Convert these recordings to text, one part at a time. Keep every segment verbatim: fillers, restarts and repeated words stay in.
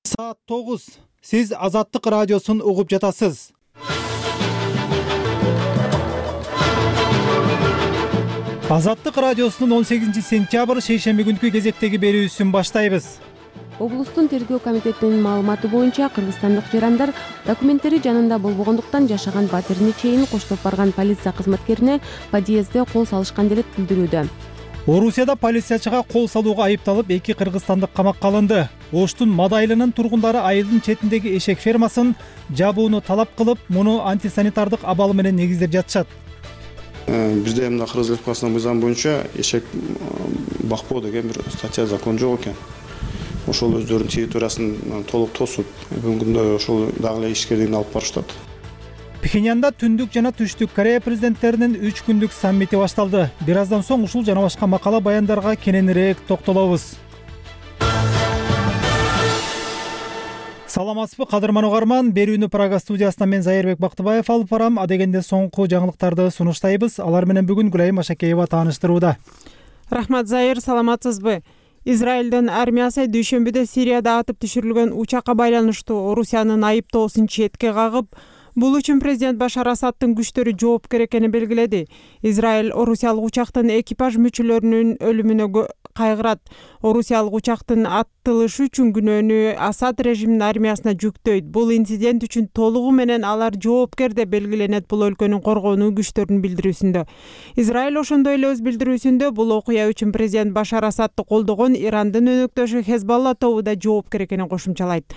Саат тогуз. Сиз Азаттык радиосун угуп жатасыз. Азаттык радиосунун он сегизинчи сентябрь шейшемби күнкү кезектеги берүүсүн баштайбыз. Облустун тергөө комитетинин маалыматы боюнча кыргызстандык жарандар документтери жанында болбогондуктан жашаган батирини чейин коштоп барган полиция кызматкерине подъездде кол салышкан деп билдирүүдө. Орусияда полициячыга кол салууга айыпталып эки кыргызстандык камакка алынды. Оштун Мадайлынын тургундары айылдын четиндеги эшек фермасын жабууну талап кылып, муну антисанитардык абалы менен негиздеп жатышат. Бизде мына Кыргыз Республикасынын мыйзамы боюнча эшек бакпоо деген бир статья закон жок экен. Ошол өздөрүнүн территориясын толук тосуп, бүгүнкү күндө ошол дагы эле ишкерлигин алып барышат. Пхеньянда Түндүк жана Түштүк Корея президенттеринин үч күндүк саммити башталды. Бир аздан соң ушул жана башка макала баяндарга кененирээк токтолобуз. Саламатсызбы, кадырман угарман. Берүүнү Прага студиясынан мен Зайырбек Бактыбаев алып барам. Адегенде соңку жаңылыктарды сунуштайбыз. Алар менен бүгүн Гүлайым Ашакеева тааныштырууда. Рахмат, Зайыр, саламатсызбы? Израилдин армиясы дүйшөмбүдө Сирияда атып түшүрүлгөн учакка байланыштуу Орусиянын айыптоосун четке кагып, бул үчүн президент Башар Асадтын күчтөрү жоопкер экенин белгиледи. Израиль орусиялык учактын экипаж мүчөлөрүнүн өлүмүнө кайгырат. Орусиялык учактын аттылышы үчүн күнөөнү Асад режиминин армиясына жүктөйт. Бул инцидент үчүн толугу менен алар жоопкер деп белгиленет бул өлкөнүн коргонуу күчтөрүнүн билдирүүсүндө. Израиль ошондой эле өз билдирүүсүндө бул окуя үчүн президент Башар Асадты колдогон Ирандын өнөктөшү Хезболла тобу да жоопкер экенин кошумчалайт.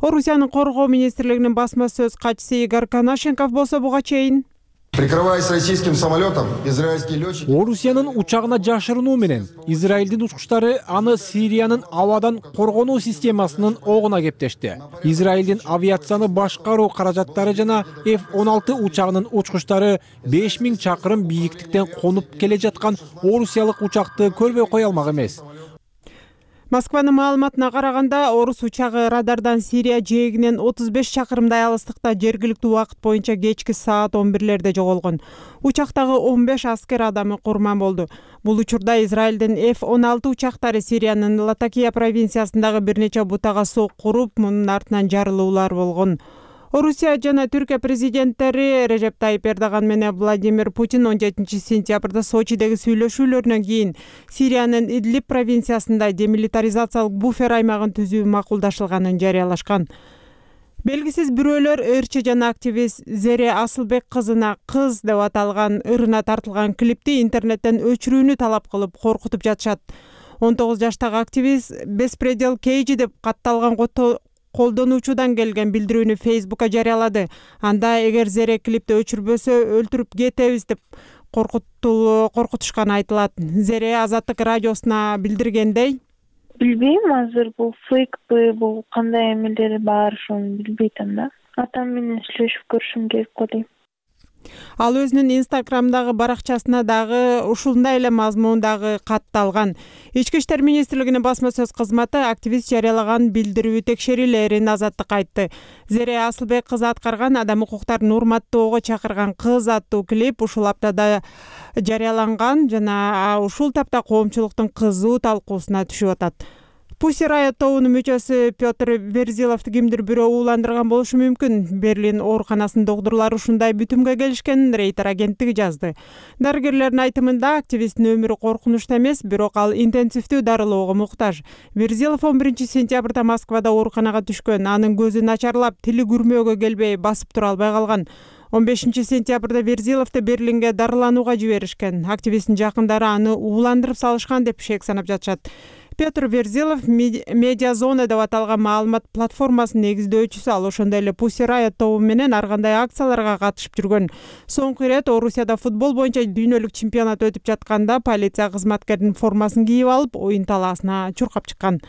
Орусиянын коргоо министрлигинин басма сөз катчысы Игорь Конашенков болсо буга чейин: Прикрываясь российским самолетом, израильские летчики... Орусиянын учагына жашырынуу менен Израилдин учкучтары аны Сириянын абадан коргонуу системасынын огуна кептешти. Израилдин авиацияны башкаруу каражаттары жана эф он алты учагынын учкучтары беш миң чакырым бийиктиктен конуп келе жаткан орусиялык учакты көрбөй кое алмак эмес. Москванын маалыматына караганда, орус учагы радардан Сирия жээгинен отуз беш чакырымдай алыстыкта жергиликтүү убакыт боюнча кечки саат он бирлерде жоголгон. Учактагы он беш аскер адамы курман болду. Бул учурда Израилдин эф он алты учактары Сириянын Латакия провинциясындагы бир нече бутага сокку уруп, мунун артынан жарылуулар болгон. Орусия жана Түркия президенттери Режеп Тайип Эрдоган менен Владимир Путин он жетинчи сентябрда Сочидеги сүйлөшүүлөрүнөн кийин Сириянын Идлиб провинциясында демилитаризациялык буфер аймагын түзүү макулдашылганын жарыялашкан. Белгисиз бирөөлөр ырчы жана активист Зере Асылбек кызына кыз деп аталган ырына тартылган клипти интернеттен өчүрүүнү талап кылып коркутуп жатышат. он тогуз жаштагы активист Беспредел Кейджи деп катталган колдонуучудан келген билдирүүнү Фейсбукка жарыялады. Анда эгер Зере клипти өчүрбөсө өлтүрүп кетебиз деп коркутушканы айтылат. Зере Азаттык радиосуна билдиргендей: Билбейм, азыр бул фейкпи, бул кандай эмелери бар, ошону билбейтим да. Атам менен сүйлөшүп көрүшүм керек го дейм. Ал өзүнүн Инстаграмдагы баракчасына дагы ушундай эле мазмундагы катталган. Ички иштер министрлигинин басма сөз кызматы активист жарыялаган билдирүү текшерилерин Азаттыкка айтты. Зере Асылбек кызы аткарган адам укуктарын урматтоого чакырган кыз аттуу клип ушул аптада жарыяланган жана ушул тапта коомчулуктун кызуу талкуусуна түшүп атат. Pussy Riot тобунун мүчөсү Петр Верзиловду кимдир бирөө ууландырган болушу мүмкүн. Берлин ооруканасынын доктурлары ушундай бүтүмгө келишкенин Рейтер агенттиги жазды. Дарыгерлердин айтымында активисттин өмүрү коркунучта эмес, бирок ал интенсивдүү дарылоого муктаж. Верзилов он биринчи сентябрда Москвада ооруканага түшкөн. Анын көзү начарлап, тили күрмөөгө келбей, басып тура албай калган. он бешинчи сентябрда Верзиловду Берлинге дарыланууга жиберишкен. Активисттин жакындары аны ууландырып салышкан деп шек санап жатышат. Петр Верзилов Медиазона деп аталган маалымат платформасынын негиздөөчүсү. Ал ошондой эле Pussy Riot тобу менен ар кандай акцияларга катышып жүргөн. Соңку ирет Орусияда футбол боюнча дүйнөлүк чемпионат өтүп жатканда полиция кызматкеринин формасын кийип алып, оюн талаасына чуркап чыккан.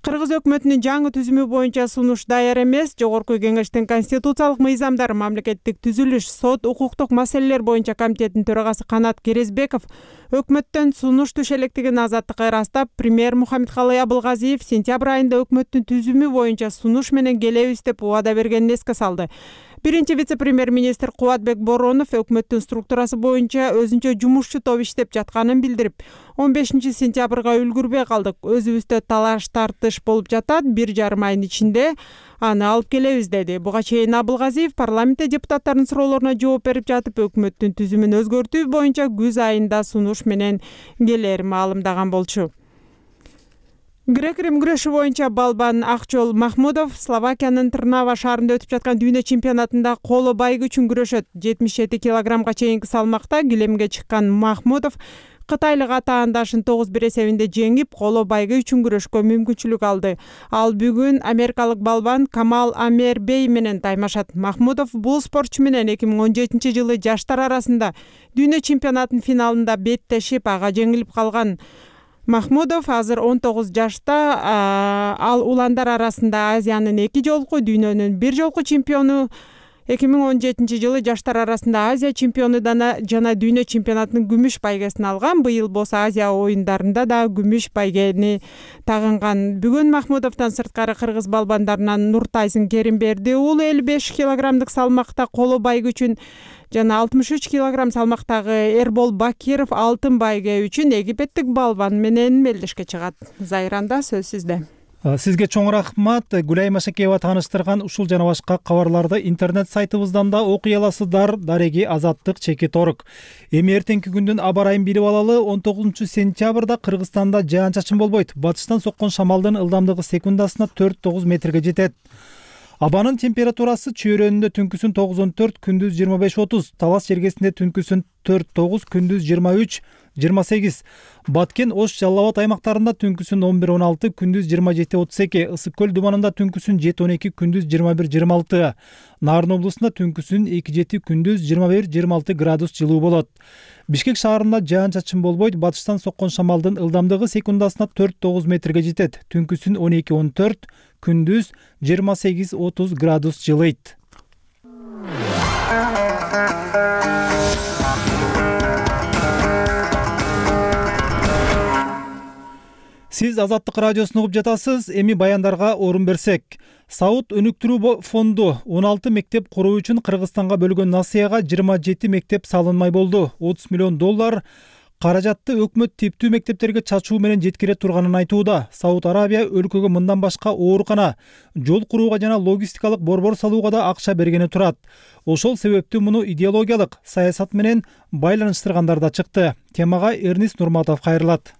Кыргыз өкмөтүнүн жаңы түзүмү боюнча сунуш даяр эмес. Жогорку кеңештин конституциялык мыйзамдар, мамлекеттик түзүлүш, сот, укуктук маселелер боюнча комитетинин төрагасы Канат Керезбеков өкмөттөн сунуш түшө электигин Азаттыкка ырастап, премьер Мухаммедкалый Абылгазиев сентябрь айында өкмөттүн түзүмү боюнча сунуш менен келебиз деп убада бергенин эске салды. Биринчи вице-премьер-министр Кубатбек Боронов өкмөттүн структурасы боюнча өзүнчө жумушчу топ иштеп жатканын билдирип, он бешинчи сентябрга үлгүрбөй калдык. Өзүбүздө талаш тартыш болуп жатат. Бир жарым айдын ичинде аны алып келебиз деди. Буга чейин Абылгазиев парламентте депутаттардын суроолоруна жооп берип жатып, өкмөттүн түзүмүн өзгөртүү боюнча күз айында сунуш менен келер маалымдаган болчу. Грек-рим күрөшү боюнча балбан Акжол Махмудов Словакиянын Трнава шаарында өтүп жаткан дүйнө чемпионатында коло байгы үчүн күрөшөт. жетимиш жети килограммга чейинки салмакта килемге чыккан Махмудов кытайлык атаандашын тогуз бир эсебинде жеңип, коло байгы үчүн күрөшкө мүмкүнчүлүк алды. Ал бүгүн америкалык балбан Камал Амер Бей менен таймашат. Махмудов бул спортчу менен эки миң он жетинчи жылы жаштар арасында дүйнө чемпионатынын финалында беттешип, ага жеңилип калган. Махмудов азыр он тогуз жашта, ал уландар арасында Азиянын эки жолку, дүйнөнүн бир жолку чемпиону. эки миң он жетинчи жылы жаштар арасында Азия чемпиону жана дүйнө чемпионатынын күмүш байгесин алган. Быйыл болсо Азия оюндарында да күмүш байгени тагынган. Бүгүн Махмудовдон сырткары кыргыз балбандарынан Нуртайсын Керимберди уулу элүү беш килограммдык салмакта коло байгы үчүн жана алтымыш үч килограмм салмактагы Эрбол Бакиров алтын байге үчүн египеттик балбан менен мелдешке чыгат. Зайранда сөз сизде. Сизге чоң рахмат. Гүлай Машакеева тааныштырган ушул жана башка кабарларды интернет сайтыбыздан да окуй аласыздар. Дареги Азаттык Чеки Торок. Эми эртеңки күндүн аба ырайын билип алалы. он тогузунчу сентябрда Кыргызстанда жаан-чачын болбойт. Батыштан соккон шамалдын ылдамдыгы секундасына төрт тогуз метрге жетет. Абанын температурасы чөйрөнүндө түнкүсүн тогуз он төрт, күндүз жыйырма беш отуз, Талас жергесинде түнкүсүн төрт тогуз, күндүз жыйырма үч жыйырма сегиз, Баткен, Ош, Жалал Абад аймактарында түнкүсүн он бир он алты, күндүз жыйырма жети отуз эки, Ысык көл думанында түнкүсүн жети он эки, күндүз жыйырма бир жыйырма алты, Нарын облусунда түнкүсүн эки жети, күндүз жыйырма бир жыйырма алты градус жылуу болот. Бишкек шаарында жаан-чачын болбойт. Батыштан соккон шамалдын ылдамдыгы секундасына төрт тогуз метрге жетет. Түнкүсүн он эки он төрт, күндүз жыйырма сегиз отуз градус жылыйт. Сиз Азаттык радиосун угуп жатасыз. Эми баяндарга орун берсек. Сауд өнүктүрүү фонду он алты мектеп куруу үчүн Кыргызстанга бөлгөн насыяга жыйырма жети мектеп салынмай болду. отуз миллион доллар каражатты өкмөт типтүү мектептерге чачуу менен жеткире турганын айтууда. Сауд Арабия өлкөгө мындан башка оорукана, жол курууга жана логистикалык борбор салууга да акча бергени турат. Ошол себептүү муну идеологиялык саясат менен байланыштыргандар да чыкты. Темага Эрнис Нурматов кайрылат.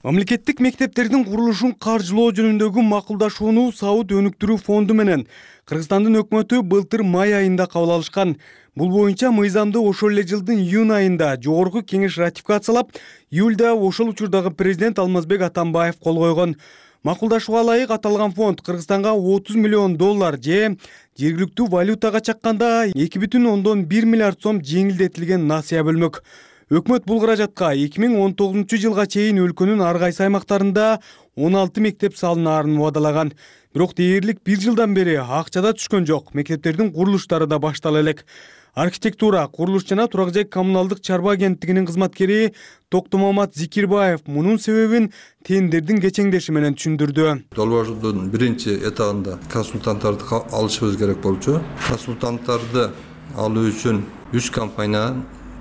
Мамлекеттик мектептердин курулушун каржылоо жөнүндөгү макулдашууну Сауд өнүктүрүү фонду менен Кыргызстандын өкмөтү былтыр май айында кабыл алышкан. Бул боюнча мыйзамды ошол эле жылдын июнь айында жогорку кеңеш ратификациялап, июлда ошол учурдагы президент Алмазбек Атамбаев кол койгон. Макулдашууга ылайык аталган фонд Кыргызстанга отуз миллион доллар же жергиликтүү валютага чакканда эки бүтүн ондон бир миллиард сом жеңилдетилген насыя бөлмөк. Өкмөт бул каражатка эки миң он тогузунчу жылга чейин өлкөнүн ар кайсы аймактарында он алты мектеп салынаарын убадалаган. Бирок дээрлик бир жылдан бери акча да түшкөн жок. Мектептердин курулуштары да баштала элек. Архитектура, курулуш жана турак жай коммуналдык чарба агенттигинин кызматкери Токтомамат Зикирбаев мунун себебин тендердин кечеңдеши менен түшүндүрдү. Долбоордун биринчи этабында консультанттарды алышыбыз керек болчу. Консультанттарды алуу үчүн үч компания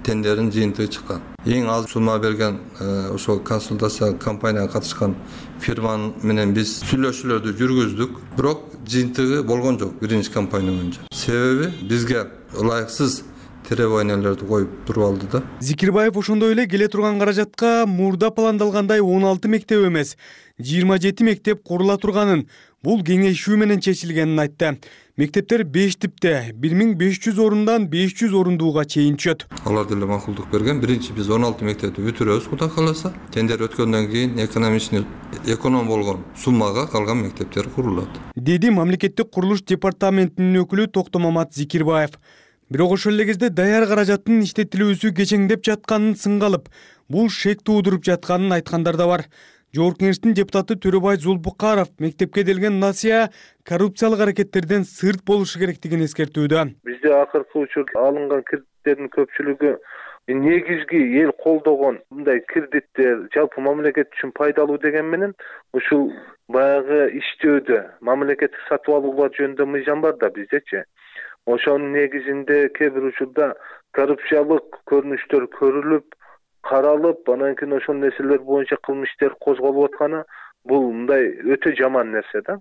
тендердин жыйынтыгы чыккан. Эң аз сума берген ошол консультация компанияга катышкан фирма менен биз сүйлөшүүлөрдү жүргүздүк. Бирок жыйынтыгы болгон жок биринчи компания боюнча. Себеби бизге ылайыксыз требованиялерди коюп туруп алды да. Зикирбаев ошондой эле келе турган каражатка мурда пландалгандай он алты мектеп эмес, жыйырма жети мектеп курула турганын, бул кеңешүү менен чечилгенин айтты. Мектептер беш типте, бир миң беш жүз орундан беш жүз орундууга чейин түшөт. Алар деле макулдук берген. Биринчи биз он алты мектепти бүтүрөбүз, Кудай кааласа. Тендер өткөндөн кийин экономичный эконом болгон суммага калган мектептер курулат, деди мамлекеттик курулуш департаментинин өкүлү Токтомамат Зикирбаев. Бирок ошол эле кезде даяр каражаттын иштетилүүсү кечеңдеп жатканын сынга алып, бул шек туудуруп жатканын айткандар да бар. Жогорку кеңештин депутаты Төрөбай Зулбукаров мектепке делген насыя коррупциялык аракеттерден сырт болушу керектигин эскертүүдө. Бизде акыркы учурда алынган кредиттердин көпчүлүгү негизги эл колдогон мындай кредиттер жалпы мамлекет үчүн пайдалуу деген менен ушул баягы иштөөдө мамлекеттик сатып алуулар жөнүндө мыйзам бар да биздечи. ошонун негизинде кээ бир учурда коррупциялык көрүнүштөр көрүлүп каралып, анан кийин ошол нерселер боюнча кылмыш ишер козголуп атканы бул мындай өтө жаман нерсе да.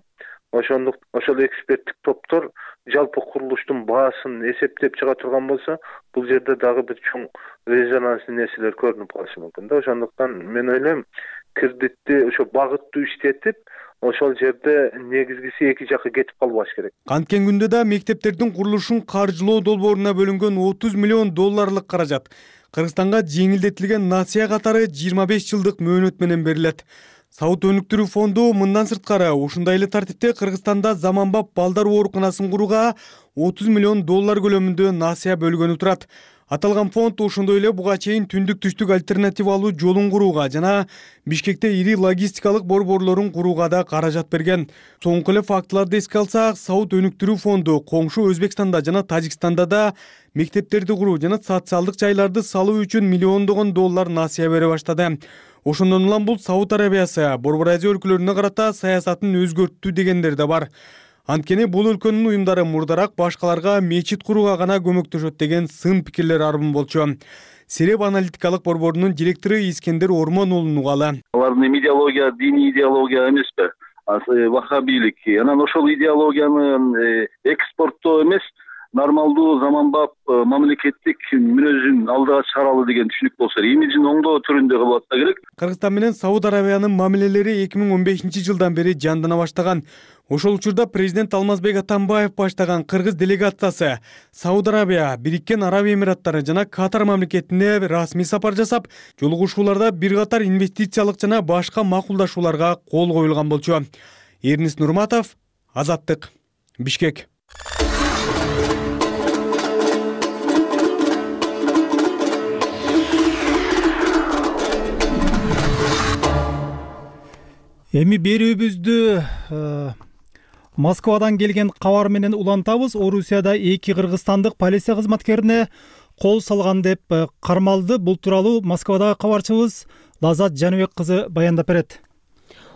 Ошондук ошол эксперттик топтор жалпы курулуштун баасын эсептеп чыга турган болсо, бул жерде дагы бир чоң резонанстуу нерселер көрүнүп калышы мүмкүн да. Ошондуктан мен ойлойм, кредитти ошо багыттуу иштетип, ошол жерде негизгиси эки жакка кетип калбаш керек. Канткен күндө да мектептердин курулушун каржылоо долбооруна бөлүнгөн отуз миллион долларлык каражат Кыргызстанга жеңилдетилген насыя катары жыйырма беш жылдык мөөнөт менен берилет. Сауыт өнүктүрүү фонду мындан сырткары ушундай эле тартипте Кыргызстанда заманбап балдар ооруканасын курууга отуз миллион доллар көлөмүндө насыя бөлгөнү турат. Аталган фонд ошондой эле буга чейин түндүк түштүк альтернативалуу жолун курууга жана Бишкекте ири логистикалык борборлорун курууга да каражат берген. Соңку эле фактыларды эске алсак, Сауыт өнүктүрүү фонду коңшу Өзбекстанда жана Тажикстанда да мектептерди куруу жана социалдык жайларды салуу үчүн миллиондогон доллар насыя бере баштады. Ошондон улам бул Сауд Арабиясы Борбор Азия өлкөлөрүнө карата саясатын өзгөрттү дегендер да бар. Анткени бул өлкөнүн уюмдары мурдараак башкаларга мечит курууга гана көмөктөшөт деген сын пикирлер арбын болчу. Сереп аналитикалык борборунун директору Искендер Ормон уулунун угалы. Алардын идеология диний идеология эмеспи? Вахабилик. Анан ошол идеологияны экспорттоо эмес, нормалдуу заманбап мамлекеттик мүнөзүн алдыга чыгаралы деген түшүнүк болсо, имиджин оңдоо түрүндө кылып атса керек. Кыргызстан менен Сауд Арабиянын мамилелери эки миң он бешинчи жылдан бери жандана баштаган. Ошол учурда президент Алмазбек Атамбаев баштаган кыргыз делегациясы Сауд Арабия, Бириккен Араб Эмираттары жана Катар мамлекетине расмий сапар жасап, жолугушууларда бир катар инвестициялык жана башка макулдашууларга кол коюлган болчу. Эрнис Нурматов, Азаттык, Бишкек. Эми берүүбүздү Москвадан келген кабар менен улантабыз. Орусияда эки кыргызстандык полиция кызматкерине кол салган деп кармалды. Бул тууралуу Москвадагы кабарчыбыз Лазат Жаныбек кызы баяндап берет.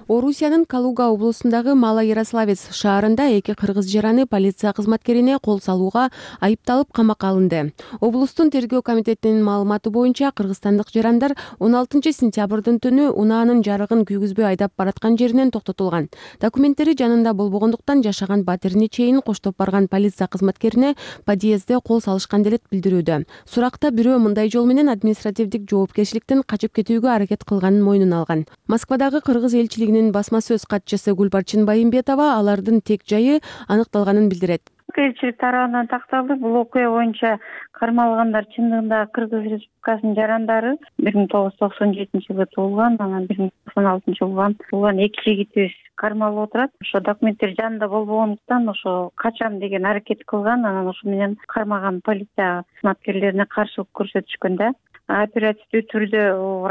Орусиянын Калуга облусундагы Мала Ярославец шаарында эки кыргыз жараны полиция кызматкерине кол салууга айыпталып камакка алынды. Облустун тергөө комитетинин маалыматы боюнча, кыргызстандык жарандар он алтынчы сентябрдын түнү унаанын жарыгын күйгүзбөй айдап бараткан жеринен токтотулган. Документтери жанында болбогондуктан жашаган батирине чейин коштоп барган полиция кызматкерине подъездде кол салышкан делет билдирүүдө. Суракта бирөө мындай жол менен административдик жоопкерчиликтен качып кетүүгө аракет кылганын мойнуна алган. Москвадагы кыргыз элчилигинин басма сөз катчысы Гүлбарчын Байымбетова алардын тек жайы аныкталганын билдирет. Элчилик тарабынан такталды. Бул окуя боюнча кармалгандар чындыгында Кыргыз Республикасынын жарандары бир миң тогуз жүз токсон жетинчи жылы туулган, анан бир миң токсон алтынчы жылы туулган эки жигитибиз кармалып отурат. Ошо документтер жанында болбогондуктан ошо качам деген аракет кылган, анан ошо менен кармаган полиция кызматкерлерине каршылык көрсөтүшкөн да. Оперативдүү түрдө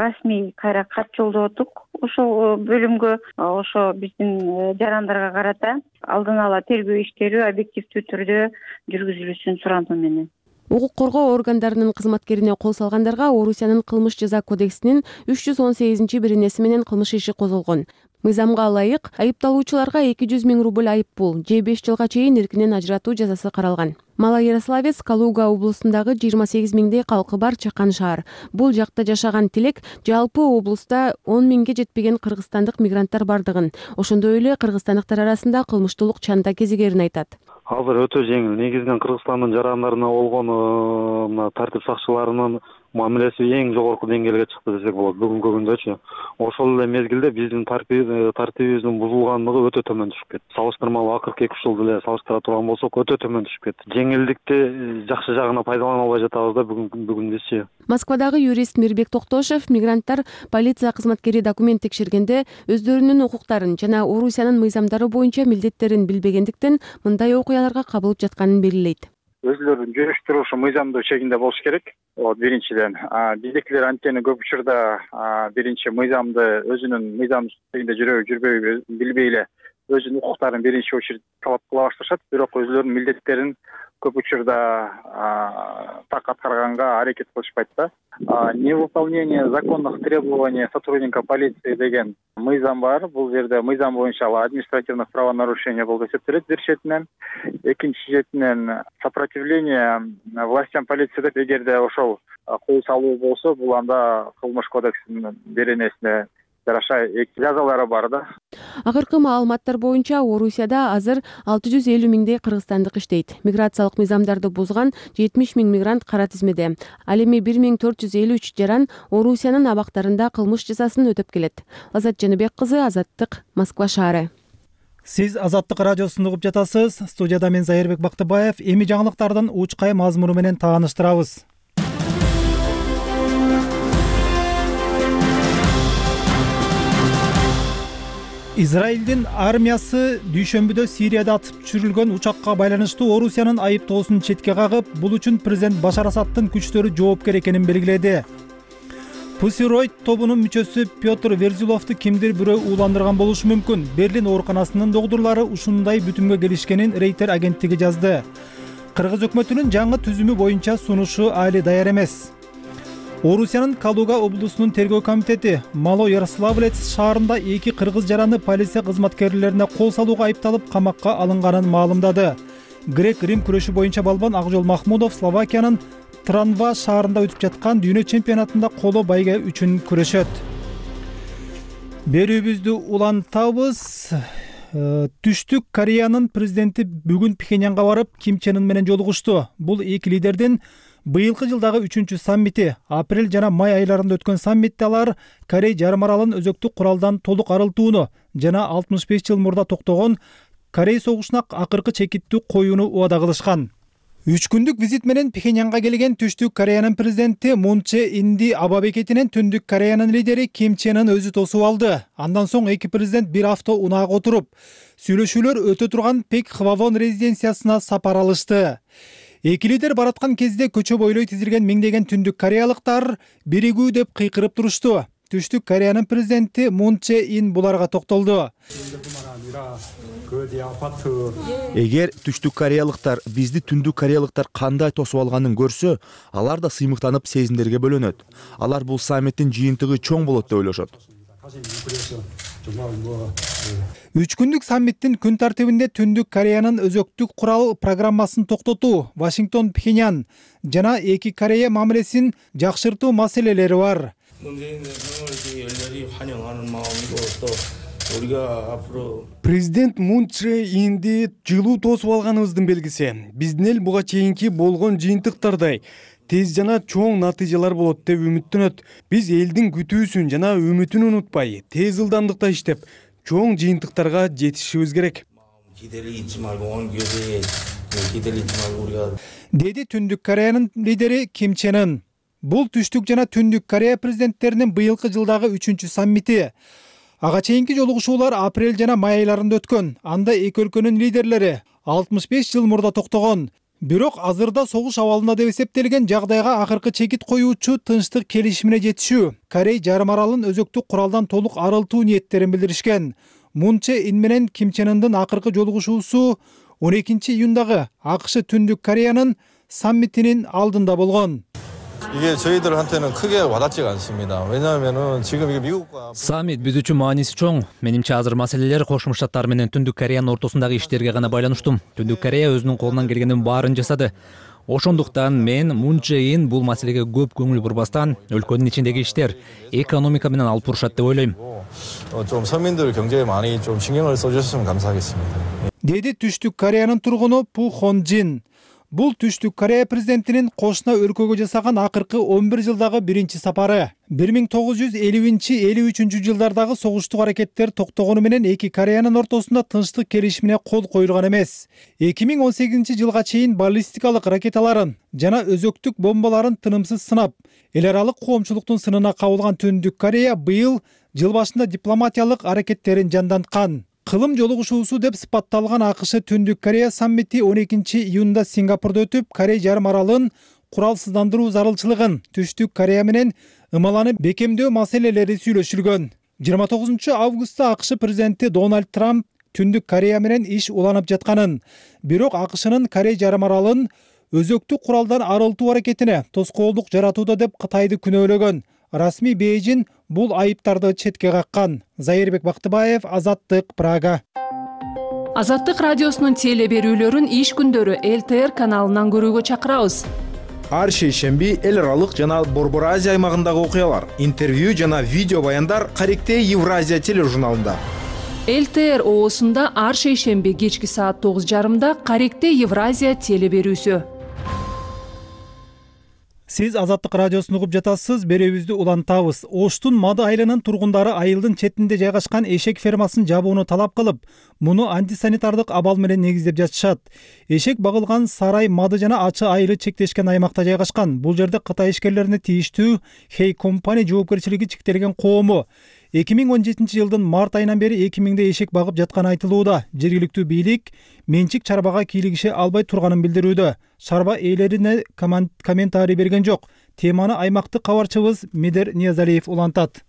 расмий кайра кат жолдоттук. Ошол бөлүмгө ошо биздин жарандарга карата алдын ала тергөө иштери объективдүү түрдө жүргүзүлүшүн сурануу менен. Укук коргоо органдарынын кызматкерине кол салгандарга Орусиянын кылмыш жаза кодексинин үч жүз он сегизинчи беренеси менен кылмыш иши козголгон. Мыйзамга ылайык айыпталуучуларга эки жүз миң рубль айыппул же беш жылга чейин эркинен ажыратуу жазасы каралган. Мала Ярославец Калуга облусундагы жыйырма сегиз миңдей калкы бар чакан шаар. Бул жакта жашаган тилек жалпы облуста он миңге жетпеген кыргызстандык мигранттар бардыгын, ошондой эле кыргызстандыктар арасында кылмыштуулук чанда кезигерин айтат. Азыр өтө жеңил. Негизинен Кыргызстандын жарандарына болгон тартип сакчыларынын мамилеси эң жогорку деңгээлге чыкты десек болот бүгүнкү күндөчү. Ошол эле мезгилде биздин тартибибиздин бузулгандыгы өтө төмөн түшүп кетти. Салыштырмалуу акыркы эки үч жылды эле салыштыра турган болсок, өтө төмөн түшүп кетти. Жеңилдикти жакшы жагына пайдалана албай жатабыз да бүгүн бүгүндөчү. Москвадагы юрист Мирбек Токтошев мигранттар полиция кызматкери документ текшергенде өздөрүнүн укуктарын жана Орусиянын мыйзамдары боюнча милдеттерин билбегендиктен мындай окуяларга кабылып жатканын белгилейт. Өзлөрүн жүрүштүрүшү мыйзамдуу чегинде болуш керек. Биринчиден, биздикилер анткени көп учурда биринчи мыйзамды өзүнүн мыйзам чегинде жүрөбү жүрбөйбү билбей эле өзүнүн укуктарын биринчи очередь талап кыла башташат, бирок өзлөрүнүн милдеттерин көп учурда так аткарганга аракет кылышпайт да. Невыполнение законных требований сотрудника полиции деген мыйзам бар. Бул жерде мыйзам боюнча административдик правонарушение болуп эсептелет бир четинен. Экинчи четинен сопротивление властям полиции деп эгерде ошол кол салуу болсо, бул анда кылмыш кодексинин беренесине жараша жазалары бар да. Акыркы маалыматтар боюнча Орусияда азыр алты жүз элүү миңдей кыргызстандык иштейт. Миграциялык мыйзамдарды бузган жетимиш миң мигрант кара тизмеде. Ал эми бир миң төрт жүз элүү үч жаран Орусиянын абактарында кылмыш жазасын өтөп келет. Азат Жаныбек кызы, Азаттык, Москва шаары. Сиз Азаттык радиосун угуп жатасыз. Студияда мен Зайырбек Бактыбаев. Эми жаңылыктардын учкай мазмуну менен тааныштырабыз. Израилдин армиясы дүйшөмбүдө Сирияда атып түшүрүлгөн учакка байланыштуу Орусиянын айыптоосун четке кагып, бул үчүн президент Башар Асадтын күчтөрү жоопкер экенин белгиледи. Pussy Riot тобунун мүчөсү Петр Верзиловду кимдир бирөө ууландырган болушу мүмкүн. Берлин ооруканасынын докторлору ушундай бүтүмгө келишкенин Рейтер агенттиги жазды. Кыргыз өкмөтүнүн жаңы түзүмү боюнча сунушу али даяр эмес. Орусиянын Калуга облусунун тергөө комитети Мало Ярославлец шаарында эки кыргыз жараны полиция кызматкерлерине кол салууга айыпталып камакка алынганын маалымдады. Грек-Рим күрөшү боюнча балбан Акжол Махмудов Словакиянын Транва шаарында өтүп жаткан дүйнө чемпионатында коло байге үчүн күрөшөт. Берүүбүздү улантабыз. Түштүк Кореянын президенти бүгүн Пхеньянга барып, Ким Чен Ын менен жолугушту. Бул эки лидердин быйылкы жылдагы үчүнчү саммити. Апрель жана май айларында өткөн саммитте алар Корей жарым аралын өзөктүк куралдан толук арылтууну жана алтымыш беш жыл мурда токтогон Корей согушуна акыркы чекиттүү коюуну убада кылышкан. Үч күндүк визит менен Пхеньянга келген Түштүк Кореянын президенти Мун Чже Инди аба бекетинен Түндүк Кореянын лидери Ким Чен Ын өзү тосуп алды. Андан соң эки президент бир авто унаага отуруп, сүйлөшүүлөр өтө турган Пек Хвавон резиденциясына сапар алышты. Эки лидер бараткан кезде көчө бойлой тизилген миңдеген түндүк кореялыктар биригүү деп кыйкырып турушту. Түштүк Кореянын президенти Мун Чже Ин буларга токтолду. Эгер түштүк кореялыктар бизди түндүк кореялыктар кандай тосуп алганын көрсө, алар да сыймыктанып сезимдерге бөлөнөт. Алар бул саммиттин жыйынтыгы чоң болот деп ойлошот. Үч күндүк саммиттин күн тартибинде Түндүк Кореянын өзөктүк курал программасын токтотуу, Вашингтон, Пхеньян жана эки Корея мамилесин жакшыртуу маселелери бар. Президент Мун Чже Инди жылуу тосуп алганыбыздын белгиси. Биздин эл буга чейинки болгон жыйынтыктардай тез жана чоң натыйжалар болот деп үмүттөнөт. Биз элдин күтүүсүн жана үмүтүн унутпай, тез ылдамдыкта иштеп, чоң жыйынтыктарга жетишибиз керек. Деди Түндүк Кореянын лидери Ким Чен Ын. Бул Түштүк жана Түндүк Корея президенттеринин быйылкы жылдагы үчүнчү саммити. Ага чейинки жолугушуулар апрель жана май айларында өткөн. Анда эки өлкөнүн лидерлери алтымыш беш жыл мурда токтогон. Бирок азырда согуш абалында деп эсептелген жагдайга акыркы чекит коюучу тынчтык келишимине жетишүү, Корей жарым аралын өзөктүк куралдан толук арылтуу ниеттерин билдиришкен. Мун Чже Ин менен Ким Чен Ындын акыркы жолугушуусу он экинчи июндагы АКШ Түндүк Кореянын саммитинин алдында болгон. 이게 저희들한테는 크게 와닿지가 않습니다. 왜냐하면은 지금 이게 미국과 саммит биз үчүн мааниси чоң. Менимче азыр маселелер Кошмо Штаттар менен Түндүк Кореянын ортосундагы иштерге гана байланыштуу. Түндүк Корея өзүнүн колунан келгенин баарын жасады. Ошондуктан мен Мун Чже Ин бул маселеге көп көңүл бурбастан өлкөнүн ичиндеги иштер, экономика менен алып бурушат деп ойлойм. 좀 서민들 경제에 많이 좀 신경을 써주셨으면 감사하겠습니다. Деди Түштүк Кореянын тургуну Пу Хон Жин. Бул Түштүк Корея президентинин кошуна өлкөгө жасаган акыркы он бир жылдагы биринчи сапары. бир миң тогуз жүз элүүнчү элүү үчүнчү жылдардагы согуштук аракеттер токтогону менен эки Кореянын ортосунда тынчтык келишимине кол коюлган эмес. эки миң он сегизинчи жылга чейин баллистикалык ракеталарын жана өзөктүк бомбаларын тынымсыз сынап, эл аралык коомчулуктун сынына кабылган Түндүк Корея быйыл жыл башында дипломатиялык аракеттерин жанданткан. Кылым жолугушуусу деп сыпатталган АКШ Түндүк Корея саммити он экинчи июнда Сингапурда өтүп, Корей жарым аралын куралсыздандыруу зарылчылыгын, Түштүк Корея менен ымаланы бекемдөө маселелери сүйлөшүлгөн. жыйырма тогузунчу августта АКШ президенти Дональд Трамп Түндүк Корея менен иш уланып жатканын, бирок АКШнын Корей жарым аралын өзөктүү куралдан арылтуу аракетине тоскоолдук жаратууда деп Кытайды күнөөлөгөн. Расмий Бейжин бул айыптарды четке каккан. Зайырбек Бактыбаев, Азаттык, Прага. Азаттык радиосунун теле берүүлөрүн иш күндөрү эл тэ эр каналынан көрүүгө чакырабыз. Ар шейшемби эл аралык жана Борбор Азия аймагындагы окуялар, интервью жана видео баяндар Каректе Евразия тележурналында. эл тэ эр оосунда ар шейшемби кечки саат тогуз жарымда Каректе Евразия теле берүүсү. Сиз Азаттык радиосун угуп жатасыз, берүүбүздү улантабыз. Оштун Мады айылынын тургундары айылдын четинде жайгашкан эшек фермасын жабууну талап кылып, муну антисанитардык абал менен негиздеп жатышат. Эшек багылган сарай Мады жана Ачы айылы чектешкен аймакта жайгашкан. Бул жерде Кытай ишкерлерине тийиштүү Хей компания жоопкерчилиги чектелген коому эки миң он жетинчи жылдын март айынан бери эки миңдей эшек багып жатканы айтылууда. Жергиликтүү бийлик менчик чарбага кийлигише албай турганын билдирүүдө. Чарба ээлерине комментарий берген жок. Теманы аймактык кабарчыбыз Медер Ниязалиев улантат.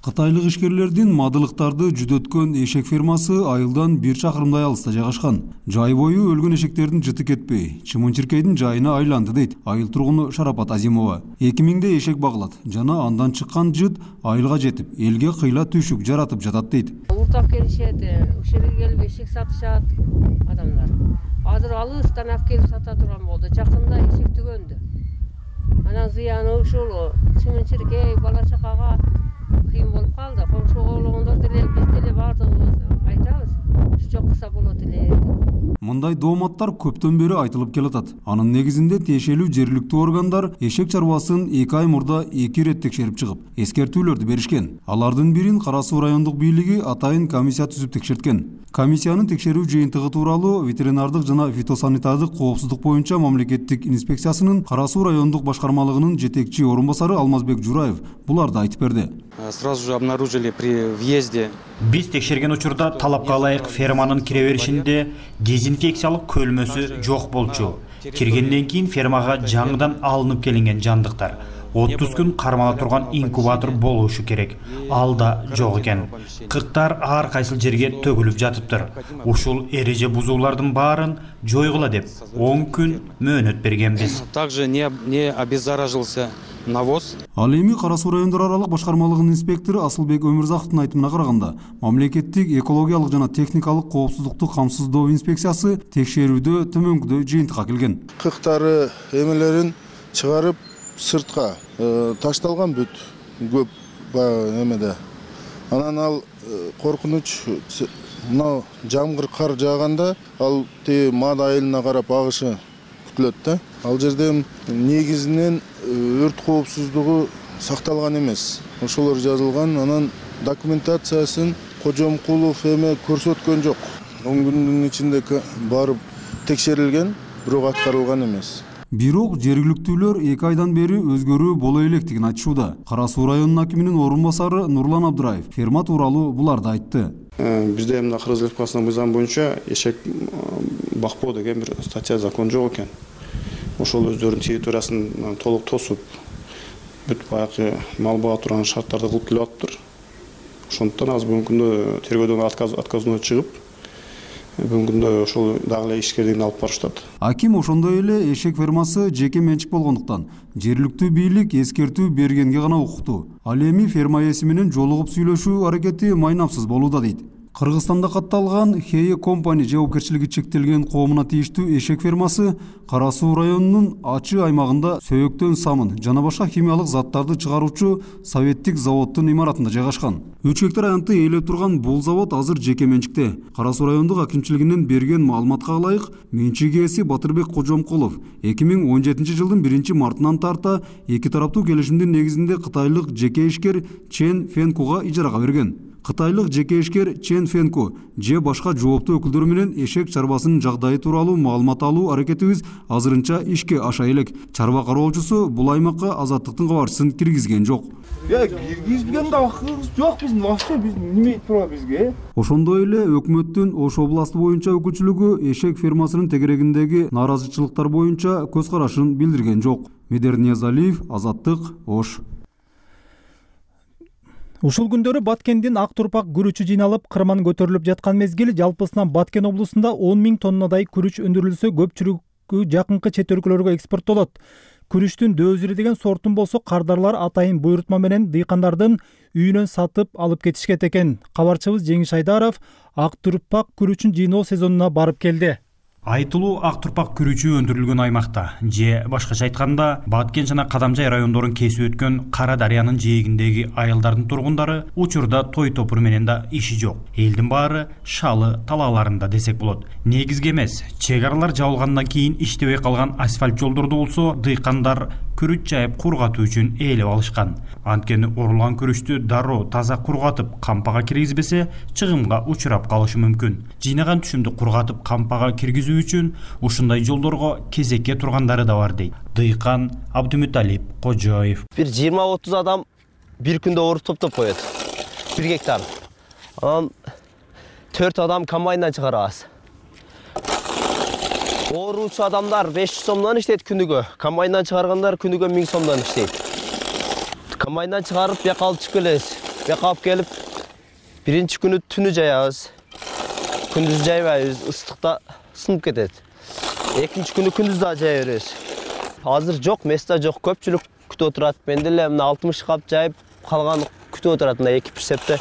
Кытайлык ишкерлердин мадылыктарды жүдөткөн эшек фермасы айылдан бир чакырымдай алыста жайгашкан. Жай бою өлгөн эшектердин жыты кетпей, чымын-чиркейдин жайына айланды дейт айыл тургуну Шарапат Азимова. эки миңдей эшек багылат жана андан чыккан жыт айылга жетип, элге кыйла түйшүк жаратып жатат дейт. Уртап келишет, ошол жерге келип эшек сатышат адамдар. Азыр алыстан алып келип сата турган болду. Жакында эшек түгөндү. Анан зыяны ушул чымын-чиркей бала чакага кыйын болуп калды. Коңшу оголоңдор деле биз деле бардыгыбыз айтабыз. Ушу кылса болот эле. Мындай дооматтар көптөн бери айтылып келатат. Анын негизинде тиешелүү жергиликтүү органдар эшек чарбасын эки ай мурда эки ирет текшерип чыгып, эскертүүлөрдү беришкен. Алардын бирин Кара Суу райондук бийлиги атайын комиссия түзүп текшерткен. Комиссиянын текшерүү жыйынтыгы тууралуу ветеринардык жана фитосанитардык коопсуздук боюнча мамлекеттик инспекциясынын Кара Суу райондук башкармалыгынын жетекчи орун басары Алмазбек Жураев буларды айтып берди. Сразу же обнаружили при въезде. Биз текшерген учурда талапка ылайык ферманын кире беришинде дезинфекциялык көлмөсү жок болчу. Киргенден кийин фермага жаңыдан алынып келинген жандыктар отуз күн кармала турган инкубатор болушу керек. Ал да жок экен. Кырктар ар кайсыл жерге төгүлүп жатыптыр. Ушул эреже бузуулардын баарын жойгула деп он күн мөөнөт бергенбиз. Также не не обеззаражился навоз. Ал эми Кара Суу райондор аралык башкармалыгынын инспектору Асылбек Өмүрзаковдун айтымына караганда, мамлекеттик экологиялык жана техникалык коопсуздукту камсыздоо инспекциясы текшерүүдө төмөнкүдөй жыйынтыкка келген. Кыктары эмелерин чыгарып сыртка ташталган бүт көп эмеде. Анан ал коркунуч мына жамгыр кар жааганда ал те Мады айылына карап агышы күтүлөт да. Ал жерде негизинен өрт коопсуздугу сакталган эмес. Ошолор жазылган, анан документациясын Кожомкулов эме көрсөткөн жок. он күндүн ичинде барып текшерилген, бирок аткарылган эмес. Бирок жергиликтүүлөр эки айдан бери өзгөрүү боло электигин айтышууда. Кара Суу районунун акиминин орун басары Нурлан Абдыраев ферма тууралуу буларды айтты. Бизде мына Кыргыз Республикасынын мыйзам боюнча эшек бакпоо деген бир статья закон жок экен. Ошол өздөрүнүн территориясын толук тосуп, бүт баягы мал бага турган шарттарды кылып келип атыптыр. Ошондуктан азыр бүгүнкү күндө тергөөдөн отказ отказной чыгып, бүгүнкү күндө ошол дагы эле ишкерлигин алып барышат. Аким ошондой эле эшек фермасы жеке менчик болгондуктан жергиликтүү бийлик эскертүү бергенге гана укуктуу. Ал эми ферма ээси менен жолугуп сүйлөшүү аракети майнапсыз болууда дейт. Кыргызстанда катталган Хей компания жоопкерчилиги чектелген коомуна тийиштүү эшек фермасы Кара Суу районунун Ачы аймагында сөөктөн самын жана башка химиялык заттарды чыгаруучу советтик заводдун имаратында жайгашкан. үч гектар аянтты ээлеп турган бул завод азыр жеке менчикте. Кара Суу райондук акимчилигинин берген маалыматка ылайык, менчик ээси Батырбек Кожомкулов эки миң он жетинчи жылдын биринчи мартынан тарта эки тараптуу келишимдин негизинде кытайлык жеке ишкер Чен Фенкуга ижарага берген. Кытайлык жеке ишкер Чен Фенку же башка жооптуу өкүлдөр менен эшек чарбасынын жагдайы тууралуу маалымат алуу аракетибиз азырынча ишке аша элек. Чарба кароолчусу бул аймакка Азаттыктын кабарчысын киргизген жок. Я киргизген да акыбыз жок биздин, вообще биз неме тура бизге. Ошондой эле өкмөттүн Ош областы боюнча өкүлчүлүгү эшек фермасынын тегерегиндеги нааразычылыктар боюнча көз карашын билдирген жок. Медер Ниязалиев, Азаттык, Ош. Ушул күндөрү Баткендин ак турпак күрүчү жыйналып, кырман көтөрүлүп жаткан мезгил. Жалпысынан Баткен облусунда он миң тоннадай күрүч өндүрүлсө, көпчүлүгү жакынкы чет өлкөлөргө экспорттолот. Күрүчтүн дөзүрү деген сортун болсо кардарлар атайын буйрутма менен дыйкандардын үйүнөн сатып алып кетишет экен. Кабарчыбыз Жеңиш Айдаров ак турпак күрүчүн жыйноо сезонуна барып келди. Айтылуу ак турпак күрүчү өндүрүлгөн аймакта же башкача айтканда Баткен жана Кадамжай райондорун кесип өткөн Кара Дарыянын жээгиндеги айылдардын тургундары учурда той топур менен да иши жок. Элдин баары шалы талааларында десек болот. Негизги эмес, чек аралар жабылгандан кийин иштебей калган асфальт жолдорду болсо дыйкандар күрүч жайып кургатуу үчүн ээлеп алышкан. Анткени орулган күрүчтү дароо таза кургатып кампага киргизбесе чыгымга учурап калышы мүмкүн. Жыйнаган түшүмдү кургатып кампага киргизүү үчүн ушундай жолдорго кезекке тургандары да бар дейт дыйкан Абдумуталип Кожоев. Бир жыйырма отуз адам бир күндө оруп топтоп коет. бир гектар. Анан төрт адам комбайндан чыгарабыз. Оруучу адамдар беш жүз сомдон иштейт күнүгө. Комбайндан чыгаргандар күнүгө миң сомдон иштейт. Комбайндан чыгарып бияка алып чыгып келебиз. Бияка алып келип биринчи күнү түнү жаябыз. Күндүз жайбайбыз, ыстыкта сынып кетет. Экинчи күнү күндүз да жая беребиз. Азыр жок, места жок, көпчүлүк күтүп отурат. Мен деле мына алтымыш кап жайып, калган күтүп отурат мына эки прицепте.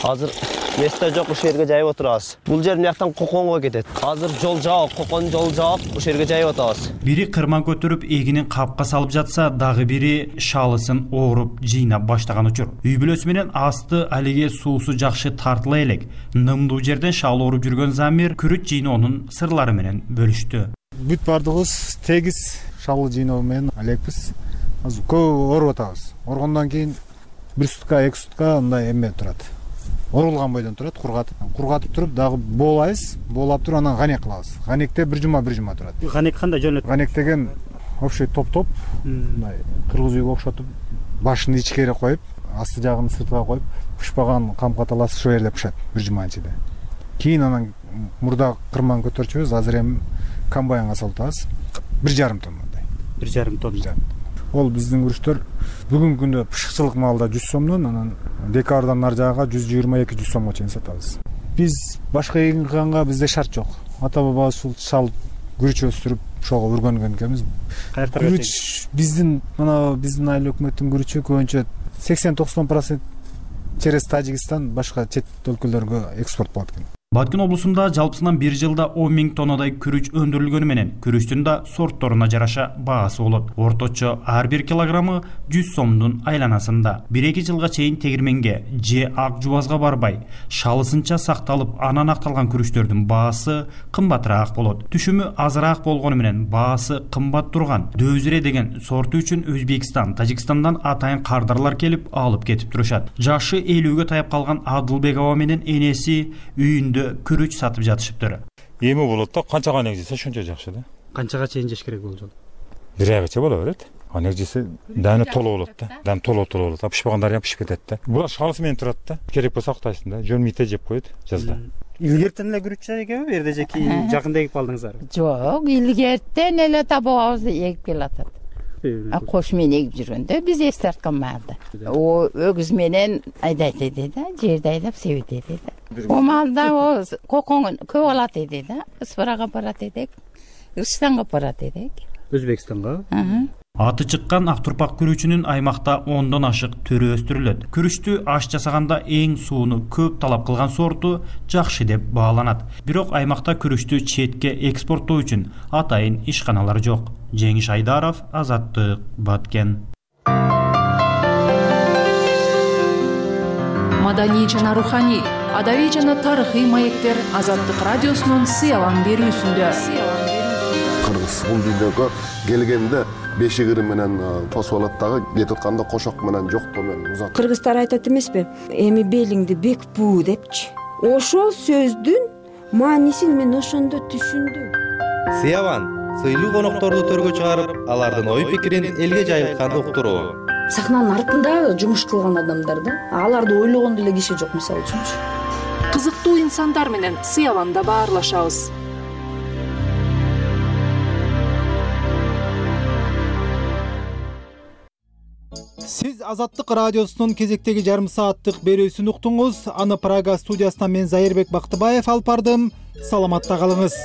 Азыр места жок, ушул жерге жайып отурабыз. Бул жер мыяктан Коконго кетет. Азыр жол жабык, Кокон жол жабык, ушул жерге жайып атабыз. Бири кырман көтөрүп эгинин капка салып жатса, дагы бири шалысын ооруп жыйнап баштаган учур. Үй бүлөсү менен асты алиге суусу жакшы тартыла элек. Нымдуу жерден шал ооруп жүргөн Замир күрүч жыйноонун сырлары менен бөлүштү. Бүт бардыгыбыз тегиз шалы жыйноо менен алекпиз. Азыр көп ооруп атабыз. Оргондон кийин бир сутка, эки сутка мындай эме турат. Орулган бойдон турат, кургатып. Кургатып туруп дагы боолайбыз, боолап туруп анан ганек кылабыз. Ганекте бир жума бир жума турат. Ганек кандай жөнөт? Ганек деген общий топ-топ, мындай кыргыз үйгө окшотуп, башын ичкере коюп, асты жагын сыртка коюп, пышпаган камка таласы ошол жерде пышат бир жуманын ичинде. Кийин анан мурда кырман көтөрчүбүз, азыр эми комбайнга салып атабыз. бир жарым тоннадай. бир жарым тонна. Ол биздин күрүчтөр бүгүнкү күндө пышыкчылык маалда жүз сомдон, анан декабрдан ар жагага жүз жыйырма эки жүз сомго чейин сатабыз. Биз башка эгин кылганга бизде шарт жок. Ата бабабыз ушул шал күрүч өстүрүп ошого өргөнгөн экенбиз. Күрүч биздин мына биздин айыл өкмөттүн күрүчү көбүнчө сексен токсон процент через Тажикстан башка чет өлкөлөргө экспорт болот экен. Баткен облусунда жалпысынан бир жылда он миң тоннадай күрүч өндүрүлгөнү менен күрүчтүн да сортторуна жараша баасы болот. Орточо ар бир килограммы жүз сомдун айланасында. бир эки жылга чейин тегирменге же ак жубазга барбай, шалысынча сакталып, анан акталган күрүчтөрдүн баасы кымбатыраак болот. Түшүмү азыраак болгону менен баасы кымбат турган Дөзүре деген сорту үчүн Өзбекстан, Тажикстандан атайын кардарлар келип алып кетип турушат. Жашы элүүгө таяп калган Адылбекова менен энеси үйүндө күрүч сатып жатышыптыр. Эми болот да, канча ганек жесе шунча жакшы да. Канчага чейин жеш керек болжол? бир айгаcha боло берет. Ганек жесе даны толо болот да. Дан толо толо болот. Пышпагандары ham пишип кетет да. Булар шалысы менен турат да. Керек болсо актайсың да. Жөнмүйте жеп коет жазда. Илгертен эле күрүч экеби, бу жерде жеки жакында эгип алдыңыздар? Жок, илгертен эле табабызды эгип келатат. Кош менен эгип жүргөндө биз эс тарткан маалда. О өгүз менен айдайт эди да, жерди айдап себет эди да. О маалда о Кокон көп алат эди да. Ыспырага барат эдик, Ыршыстанга барат эдик. Өзбекстанга? Аты чыккан ак турпак күрүчүнүн аймакта ондон ашык түрү өстүрүлөт. Күрүчтү аш жасаганда эң сууну көп талап кылган сорту жакшы деп бааланат. Бирок аймакта күрүчтү четке экспорттоо үчүн атайын ишканалар жок. Жеңиш Айдаров, Азаттык, Баткен. Маданий жана руханий, адабий жана тарыхый маектер Азаттык радиосунун сыялан берүүсүндө. Кыргыз бул дүйнөгө келгенде бешик ыры менен тосуп алат дагы, кетип атканда кошок менен жоктоо менен узат. Кыргыздар айтат эмеспи? Эми белиңди бек буу депчи. Ошол сөздүн маанисин мен ошондо түшүндүм. Сыяван сыйлуу конокторду төргө чыгарып, алардын ой пикирин элге жайылтканды уктуруу. Сахнанын артында жумуш кылган адамдар да, аларды ойлогон деле киши жок мисалы үчүнчү. Кызыктуу инсандар менен Сыяванда баарлашабыз. Сиз Азаттык радиосунун кезектеги жарым сааттык берүүсүн уктуңуз. Аны Прага студиясынан мен Зайырбек Бактыбаев алып бардым. Саламатта калыңыз.